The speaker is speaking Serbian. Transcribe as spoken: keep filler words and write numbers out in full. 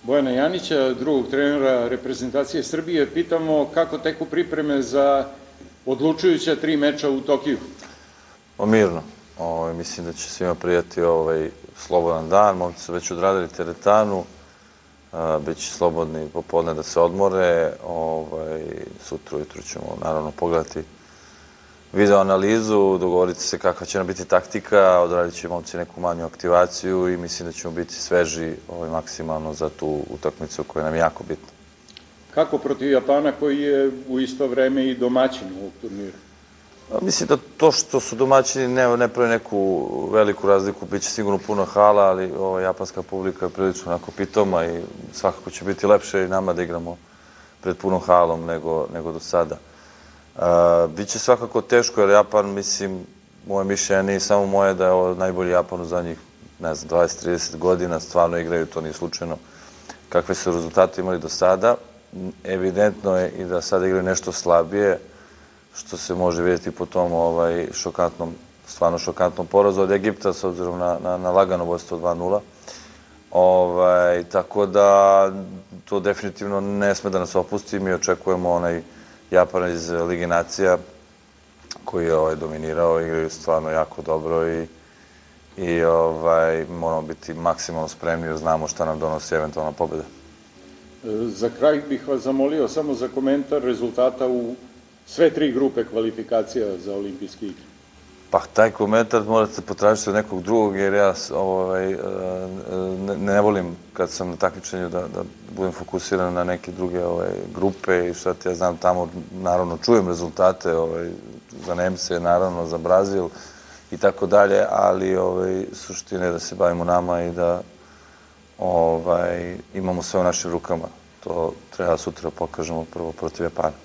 Bojana Janića, drugog trenera reprezentacije Srbije. Pitamo kako teku pripreme za odlučujuća tri meča u Tokiju. Pa mirno. Mislim da će svima prijati slobodan dan. Momci su već odradili teretanu. Biće slobodni popodne da se odmore. Sutra ujutru ćemo naravno pogledati video analizu, dogovoriti se kakva će nam biti taktika, odradit će momci neku manju aktivaciju i mislim da ćemo biti sveži maksimalno za tu utakmicu koja nam je jako bitna. Kako protiv Japana koji je u isto vreme i domaćin ovog turnira? Mislim da to što su domaćini ne pravi neku veliku razliku, bit će sigurno puno hala, ali japanska publika je prilično onako pitoma i svakako će biti lepše i nama da igramo pred punom halom nego do sada. Biće svakako teško jer Japan, mislim, moje mišljenje nije samo moje da je ovo najbolji Japan u zadnjih, ne znam, dvadeset do trideset godina, stvarno igraju, to nije slučajno, kakve su rezultate imali do sada. Evidentno je i da sada igraju nešto slabije, što se može vidjeti po tom šokantnom, stvarno šokantnom porazu od Egipta, s obzirom na lagano vodstvo dva nula. Tako da to definitivno ne sme da nas opusti, mi očekujemo onaj Japana iz Lige nacija koji je dominirao, igraju stvarno jako dobro i moramo biti maksimalno spremni jer znamo šta nam donosi eventualna pobjeda. Za kraj bih vas zamolio samo za komentar rezultata u sve tri grupe kvalifikacija za olimpijske igre. Pa taj komentar morate potražiti od nekog drugog jer ja ne volim kad sam na takmičenju da budem fokusiran na neke druge grupe i šta ti ja znam tamo, naravno čujem rezultate za Nemce, naravno za Brazil i tako dalje, ali suština je da se bavimo nama i da imamo sve u našim rukama. To treba sutra pokažemo prvo protiv Japana.